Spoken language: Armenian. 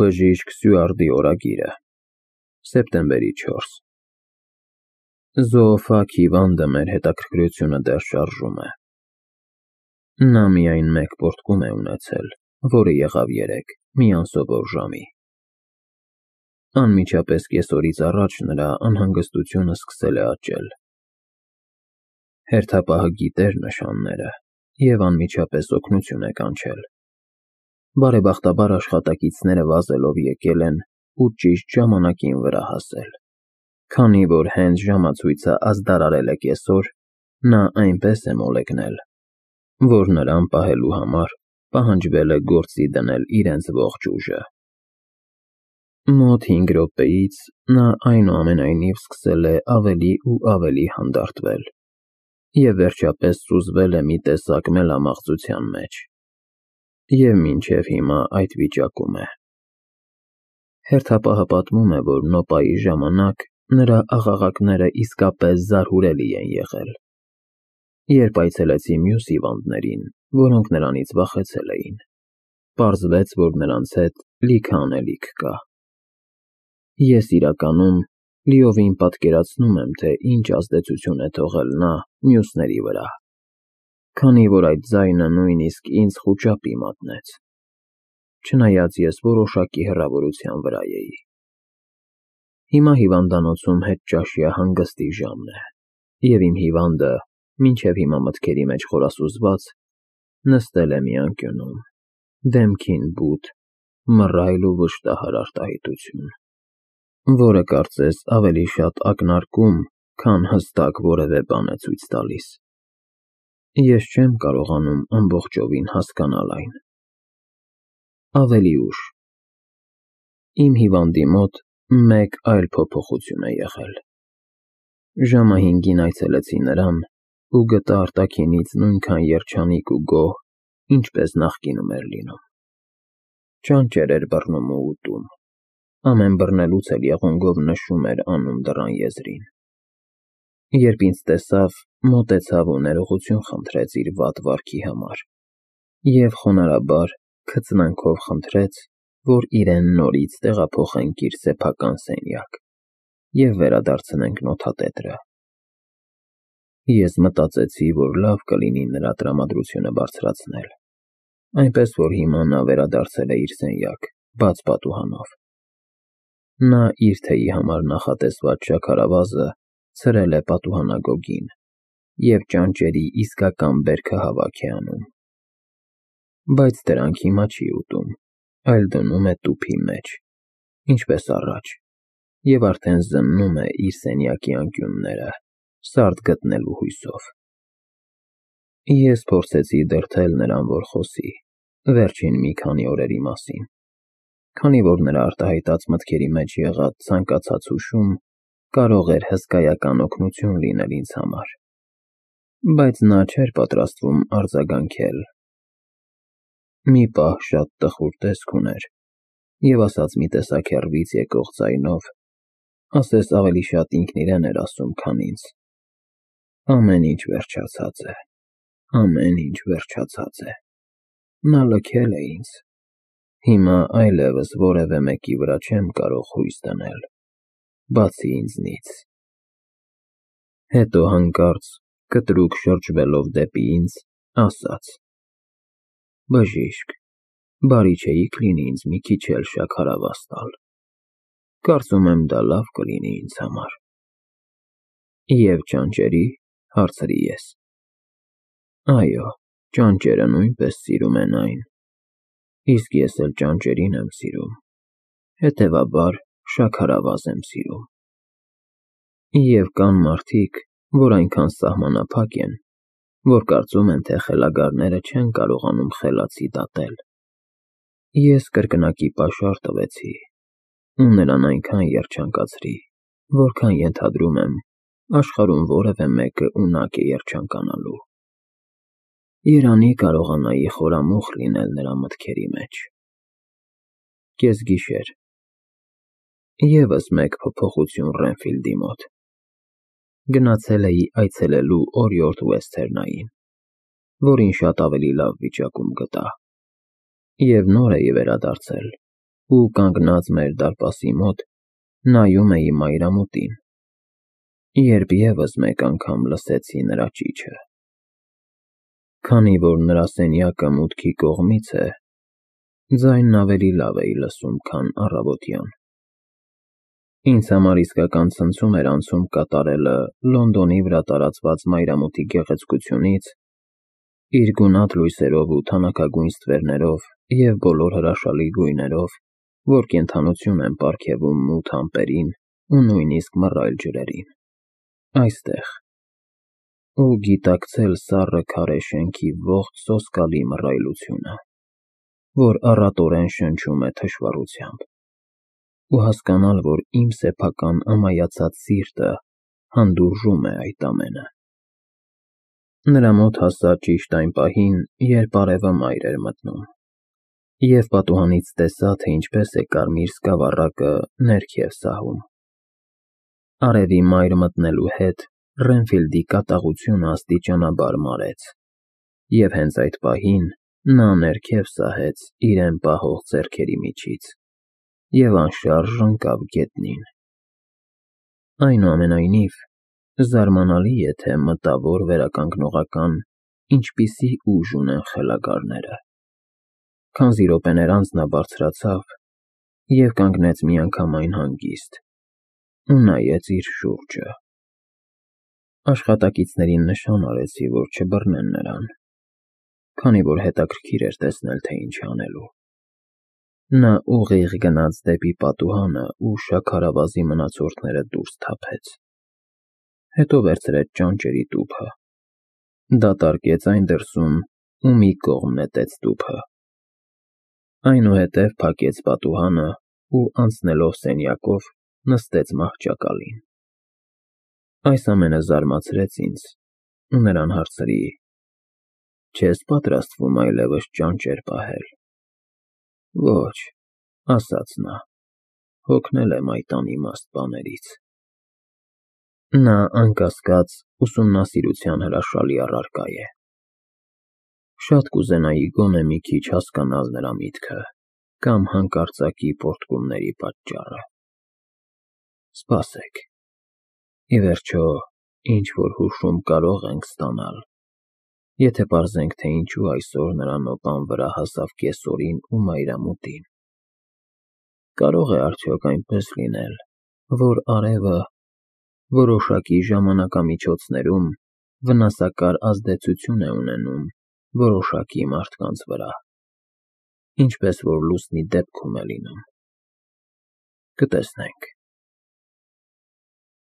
Բժիշկ Սյուարդի օրագիրը, սեպտեմբերի 4 Զոոֆագ հիվանդը մեր հետաքրքրությունը դեռ շարժում է։ Նա միայն մեկ պոռթկում է ունեցել, որը եղավ երեկ, մի անսովոր ժամի։ Անմիջապես կեսօրից առաջ նրա անհանգստությունը սկսել է աճել։ Հերթապահը գիտեր նշանները և անմիջապես օգնություն է կանչել։ Բարեբախտաբար աշխատակիցները վազելով եկել են ու ճիշտ ժամանակին վրա հասել։ Քանի որ հենց ժամացույցը ազդարարել է կեսօր, նա այնպես է մոլեգնել, որ նրան պահելու համար պահանջվել է գործի դնել իրենց ողջ ուժը։ Մոտ 5 րոպեից նա այնուամենայնիվ սկսել է ավելի ու ավելի հանդարտվել և վերջապես սուզվել է մի տեսակ մելամաղձության մեջ և մինչև հիմա այդ վիճակում է։ Հերթապահը պատմում է, որ նոպայի ժամանակ նրա աղաղակները իսկապես զարհուրելի են եղել։ Երբ այցելեցի մյուս հիվանդներին, որոնք նրանից վախեցել էին, պարզվեց, որ նրանց հետ լիքը անելիք կա։ Ես իրականում լիովին պատկերացնում եմ, թե ինչ ազդեցություն է թողել նա մյուսների վրա, քանի որ այդ ձայնը նույնիսկ ինձ խուճապի մատնեց, չնայած ես որոշակի հեռավորության վրա էի։ Հիմա հիվանդանոցում հետճաշյա հանգստի ժամն է, և իմ հիվանդը, մինչև հիմա մտքերի մեջ խորասուզված, նստել է մի անկյունում, դեմքին բութ, մռայլ ու վշտահար արտահայտություն, որը կարծես ավելի շատ ակնարկում, քան հստակ որևէ բան է ցույց տալիս։ Ես չեմ կարողանում ամբողջովին հասկանալ այն։ Ավելի ուշ իմ հիվանդի մոտ մեկ այլ փոփոխություն է եղել։ Ժամը 5-ին այցելեցի նրան ու գտա արտաքինից նույնքան երջանիկ ու գոհ, ինչպես նախկինում էր լինում։ Ճանճեր էր բռնում ու ուտում, ամեն բռնելուց էլ եղունգով նշում էր անում դռան եզրին։ Երբ ինձ տեսավ, մոտեցավ ու ներողություն խնդրեց իր վատ վարքի համար և խոնարհաբար քծնանքով խնդրեց, որ իրեն նորից տեղափոխենք իր սեփական սենյակ և վերադարձնենք նոթատետրը։ Ես մտածեցի, որ լավ կլինի նրա տրամադրությունը բարձրացնել, այնպես որ հիմա նա վերադարձել է իր սենյակ, բաց պատուհանով։ Նա իր թեյի համար նախատեսված շաքարավազը ցրել է պատուհանագոգին և ճանճերի իսկական բերքը հավաք է անում։ Բայց դրանք հիմա չի ուտում, այլ դնում է տուփի մեջ, ինչպես առաջ, և արդեն զննում է իր սենյակի անկյունները, սարդ գտնելու հույսով։ Ես փորձեցի դրդել նրան, որ խոսի վերջին մի քանի օրերի մասին, քանի որ նրա արտահայտած մտքերի մեջ եղած ցանկացած հուշում կարող էր հսկայական օգնություն լինել ինձ համար, բայց նա չէր պատրաստվում արձագանքել։ Մի պահ շատ տխուր տեսք ուներ և ասաց մի տեսակ հեռվից եկող ձայնով, ասես ավելի շատ ինքն իրեն էր ասում, քան ինձ. ամեն ինչ վերջացած է, ամեն ինչ վերջացած է, նա լքել է ինձ, հիմա այլևս որևէ մեկի վրա չեմ կարող հույս դնել, բացի ինձնից։ Հետո հանկարծ, կտրուկ շրջվելով դեպի ինձ, ասաց. բժիշկ, բարի չէիք լինի ինձ մի քիչ էլ շաքարավազ տալ, կարծում եմ դա լավ կլինի ինձ համար։ Եվ ճանճերի՞, հարցրի ես։ Այո, ճանճերը նույնպես սիրում են այն, իսկ ես էլ ճանճերին եմ սիրում, հետևաբար շաքարավազ եմ սիրում։ Եվ կան մարդիկ, որ այնքան սահմանափակ են, որ կարծում են, թե խելագարները չեն կարողանում խելացի դատել։ Ես կրկնակի պաշար տվեցի ու նրան այնքան երջանկացրի, որքան ենթադրում եմ, աշխարհում որևէ մեկը ունակ է երջանկանալու։ Երանի կարողանայի խորամուխ լինել նրա մտքերի մեջ։ Կեսգիշեր ևս մեկ փոփոխություն Ռենֆիլդի մոտ։ Գնացել էի այցելելու օրիորդ Ուեսթերնային, որին շատ ավելի լավ վիճակում գտա, և նոր էի վերադարձել, ու կանգնած մեր դարպասի մոտ նայում էի մայրամուտին, երբ եւս մեկ անգամ լսեցի նրա ճիչը։ Քանի որ նրա սենյակը մուտքի կողմից է, ձայնն ավելի լավ էի լսում, քան առավոտյան։ Ինձ համար իսկական ցնցում էր անցում կատարելը Լոնդոնի վրա տարածված մայրամուտի գեղեցկությունից, իր գունատ լույսերով ու թանաքագույն ստվերներով և բոլոր հրաշալի գույներով, որ կենդանություն են պարգևում մութ ամպերին ու նույնիսկ մռայլ ջրերին, այստեղ, ու գիտակցել սառը քարե շենքի ողջ սոսկալի մռայլությունը, որ առատորեն շնչում է թշվառությամբ, ու հասկանալ, որ իմ սեփական ամայացած սիրտը հանդուրժում է այդ ամենը։ Նրա մոտ հասա ճիշտ այն պահին, երբ արևը մայր էր մտնում, և պատուհանից տեսա, թե ինչպես է կարմիր սկավառակը ներքև սահում։ Արևի մայր մտնելու հետ Ռենֆիլդի կատաղությունը աստիճանաբար մարեց, և հենց այդ պահին նա ներքև սահեց իրեն պահող ձեռքերի միջից և անշարժ ընկավ գետնին։ Այնուամենայնիվ, զարմանալի է, թե մտավոր վերականգնողական ինչպիսի ուժ ունեն խելագարները։ Քանզի րոպեներ անց նա բարձրացավ և կանգնեց միանգամայն հանգիստ ու նայեց իր շուրջը։ Աշխատակիցներին նշան արեցի, որ չբռնեն նրան, քանի որ հետաքրքիր էր տեսնել, թե ինչ է անելու։ Նա ուղիղ գնաց դեպի պատուհանը ու շաքարավազի մնացորդները դուրս թափեց, հետո վերցրեց ճանճերի տուփը, դատարկեց այն դրսում ու մի կողմ նետեց տուփը, այնուհետև փակեց պատուհանը ու անցնելով սենյակով նստեց մահճակալին։ Այս ամենը զարմացրեց ինձ ու նրան հարցրի. «Չես պատրաստվում այլևս ճանճեր պահել»։ «Ոչ», ասաց նա, «հոգնել եմ այդ անիմաստ բաներից»։ Նա, անկասկած, ուսումնասիրության հրաշալի առարկա է։ Շատ կուզենայի գոնե մի քիչ հասկանալ նրա միտքը կամ հանկարծակի պոռթկումների պատճառը։ Սպասեք, ի վերջո, ինչ-որ հուշում կարող ենք ստանալ, եթե պարզենք, թե ինչու այսօր նրա նոպան վրա հասավ կեսօրին ու մայրամուտին։ Կարող է արդյոք այնպես լինել, որ արևը որոշակի ժամանակամիջոցներում վնասակար ազդեցություն է ունենում որոշակի մարդկանց վրա, ինչպես որ լուսնի դեպքում է լինում։ Կտեսնենք։